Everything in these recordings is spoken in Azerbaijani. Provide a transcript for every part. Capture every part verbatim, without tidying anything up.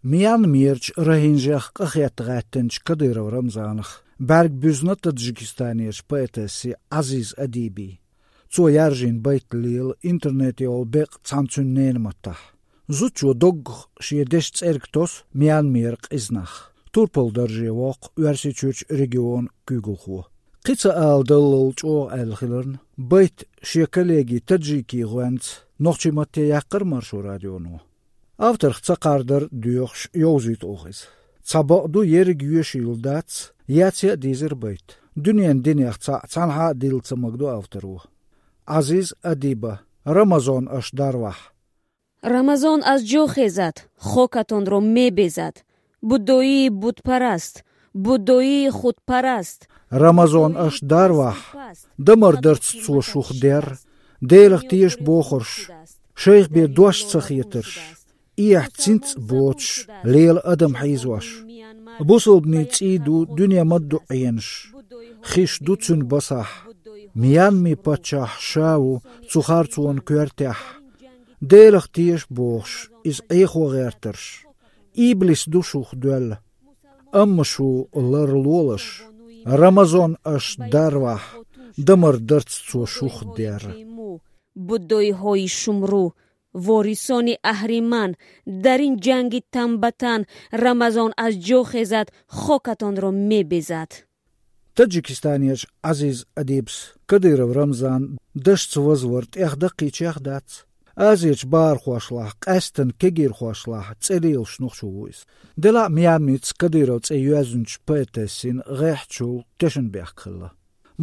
Miyan Mirch Rahinjach Qahyattghattınch Kadyrov Ramzanach. Berg büzna Tadjikistaniyach poetesi Aziz Adibi. Cu yarjin baitlil interneti ol beq cancunnen matah. Zuchu dog shiedesh tserktos Miyan Mirq iznach. Turpol darje waq Uersichuch region Kugulhu. Qitsa al dalil chu al khilern. Bait shiakalegi Tadjiki gwant nochchimatte yaqir marshu radiono. After qtsaqarder duursh yozit ogiz. Tsabaqdu yerig yushildats yatsia dizer bait. Dunyan dinyaxtsa tsanha diltsamagdu afteru. Aziz Adiba Ramazon ash darwah. Рамазон аз ҷо хезад, хокатонро мебезад. Буддоии будпараст, буддоии худпараст. Рамазон аш дарвах, дамар дърц цу шухдер, делах тиеш бохорш, шейх бе дуаш цахиетърш, иях цинц боч, лeel адам хайзваш. Бусълбни циду дуня мадду айенш, хиш дуцун басах, миян ми пачах шау цухарцуан кюертях. Delach tiers boos is ego gerters. Iblis dushuch duel. Ammashu lar lolas. Ramazon as darwah. Damar darts zu shuch der. Buddoi hoi shumru. Vorisoni ahriman. Darin jangi tambatan. Ramazon as jo khezat. Khokaton ro mebezat. Tadjikistaniyach Aziz Adibs. Kadyrov Ramzan. Dasht возварт эгдaqi chagdats. Azich bar khoshlah qastan kegir khoshlah tselil shnukhshuis dela miamits Kadyrovts eyazunch poetesin rehchu Teschenberg khilla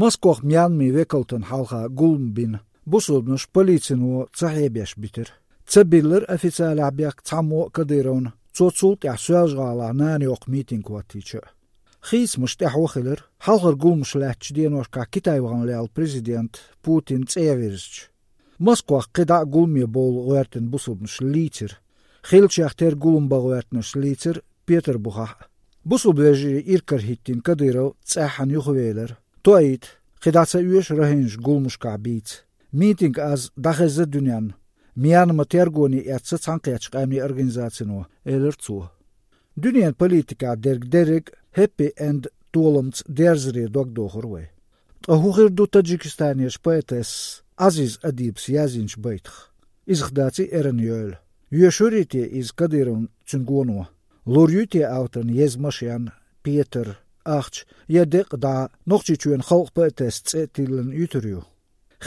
Moskov miami vekaltan halha gulmbin busulbnush politsinu tsahebesh bitir tsabiller oficial abyak tsamo Kadyrovn tsotsult yahsuajgala nan yok meeting waticha khis mushtahwkhiller halhar gulmshlach dienoshka Kitayvan leal president Putin tsevirch Moskva qida gulmi bol werten busubnush licher. Khilchachter gulumba wertnush licher Peter Buha. Busubveji irkar hittin Kadyrov tsahan yukhveler. Toit qidatsa uesh rahinj gulmush kabit. Meeting az dakhaz dunyan. Miyan matergoni yatsa tsanqyach qamni organizatsino elertsu. Dunyan politika derg derg happy and tolumts derzri dogdohorwe. Ahugir du Tadjikistanish poetes Aziz Adibs yazinch baitch. Izghdati eren yöl. Yushuriti iz Kadyrov tsungono. Lorjuti auton yezmashian Peter Achch yedek da nochchichuen khalq poetes tsetilen yuturyu.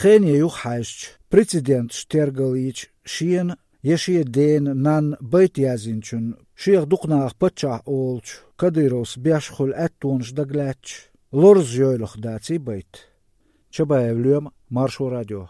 Khenie yuch haischt. President Stergalich shien yeshie den nan bait yazinchun. Shier duqnaach patcha olch. Kadyrovs biashkhul attonsh daglach. Lorz yölch dati bait. Чабаев Лем, Маршу радио.